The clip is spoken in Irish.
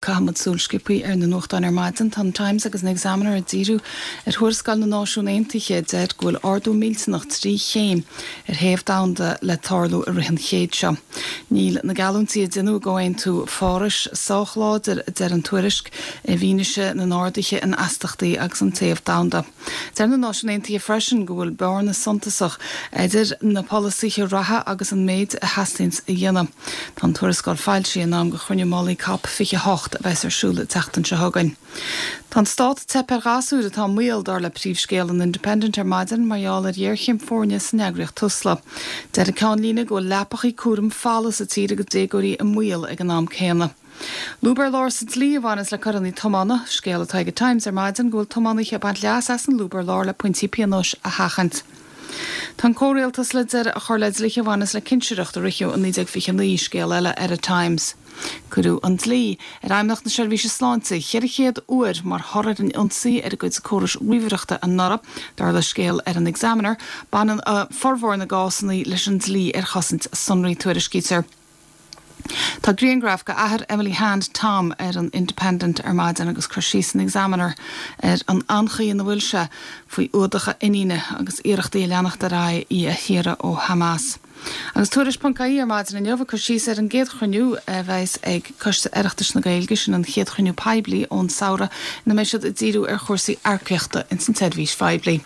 Caithfimid súil sciobtha ar na nuachtáin ar maidin. Tá an Times agus an Examiner ag díriú ar thuarascáil na Náisiún Aontaithe a deir go bhfuil ardú millteanach 3 chéim ar théamh domhanda le tarlú i rith an chéid seo. Níl na geallúintí a deineadh i gComhaontú Phárais sách láidir, a deir an tuairisc, i bhfianaise na n-arduithe in astachtaí agus an téamh domhanda. Deir na Náisiúin Aontaithe freisin go bhfuil bearna suntasach idir na polasaithe reatha agus an méid a theastaíonns a dhéanamh. Tá an tuarascáil foilsithe in am do chruinniú mullaigh Cop 28 a bheas ar siúl an tseachtain seo chugainn. Tá an stát ag teip ar ghasúir atá i mbaol, dar le príomhscéal an Independent ar maidin, mar gheall ar ghéarchéim foirne san eagraíocht Tusla. Deir an ceannlíne go bhfuil leapachaí cúraim folamh sa tír agus déagóirí i mbaol ag an am céanna. Lúb ar lár sa dlí a bhaineas le coireanna tiomána, scéal atá ag an Times ar maidin go bhfuil tiománaithe ag baint leas as an lúb ar lár le pointí pionóis a sheachaint. Tá an comhrialtas le deireadh a chur le dlíthe a bhaineas le cinsireacht a ritheadh i 1929, scéal eile ar an Times. Cuireadh an dlí ar Fheidhmeannacht na Seirbhíse Sláinte 400 uair mar thoradh ar an ionsaí ar a gcuid córais ríomhaireachta anuraidh, dar le scéal ar an Examiner. Baineann formhór na gcásanna leis an dlí ar chosaint sonraí, tuairiscítear. Tá grianghraf de athair Emily Hand, Tom, ar an Independent ar maidin agus cur síos san Examiner ar an anchaoi ina bhfuil sé faoi fhuadach a iníne agus iarrachtaí ag leanacht ar aghaidh í a shaoradh ó Hamas. Agus Tuairisc.ie ar maidin inniu ag cur síos ar an gcéad chruinniú a bheas ag Coiste Oireachtais na Gaeilge, sin an chéad chruinniú poiblí ón samhradh ina mbeidh siad ag díriú ar chúrsaí earcaíochta ins an tseirbhís phoiblí.